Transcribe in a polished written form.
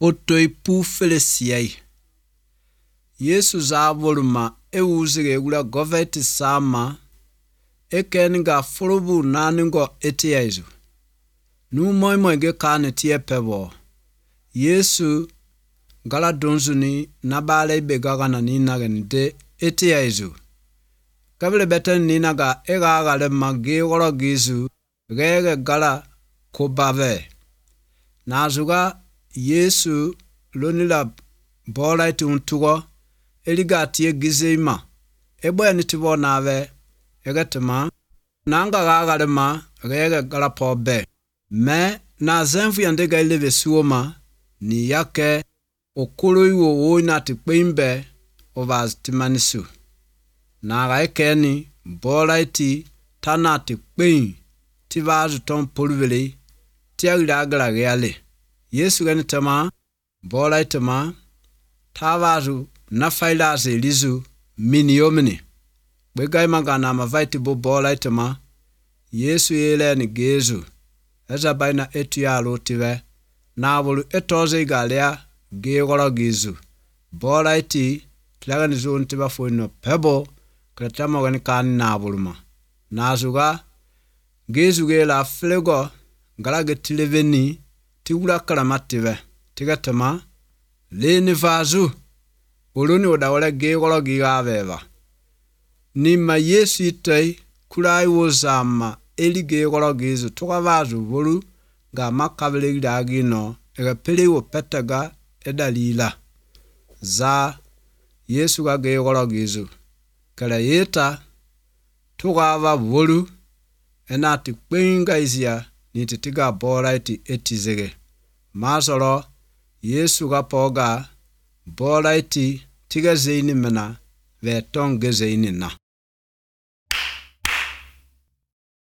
Otoi pu felesiai. Yesu za voluma uzige gula goveti sama ekenga fulubu naningo etiezu. Nu moi ge kane tie pebo. Yesu gala donzuni nabale begaga na ninagen de etiezu. Kabele beten ninaga ega gale magi woro gizu gege gala kobave. Nazuga Yesu lonila bola iti untugo eliga tie gizeima ebo ya nitibo nave egetema nanga gagale ma gege gala pobe me na zenfu yandega ileve suoma ni yake okolo iwo oina tikpeimbe ovaz timanisu na gaekeni bola iti tana tikpeim tivazu tom polvele tiagira agala geale Yesu gani tema bola itema tavazu na failaze lizu miniomini begai magana mavaiti bo bola itema Yesu yele ni gezu eza baina etu ya lotive na bolu etoze galea gegoro gizu bola iti tlaga ni zon tiba foino pebo kretama gani kan na boluma nazuga gezu gela flego galage tileveni tiwula kalamative tigatama leni vazu oloni odawala gegoro gigaveva nima Yesu itai kulai wozama eli gegoro gizu toka vazu bolu ga makabele gidagino ega pelewo petaga edalila za Yesu ga gegoro gizu kala yeta toka va bolu enati kwenga izia nititiga bola iti etizege masoro Yesu ga poga bola iti tiga zeini mena ve tonge zeini na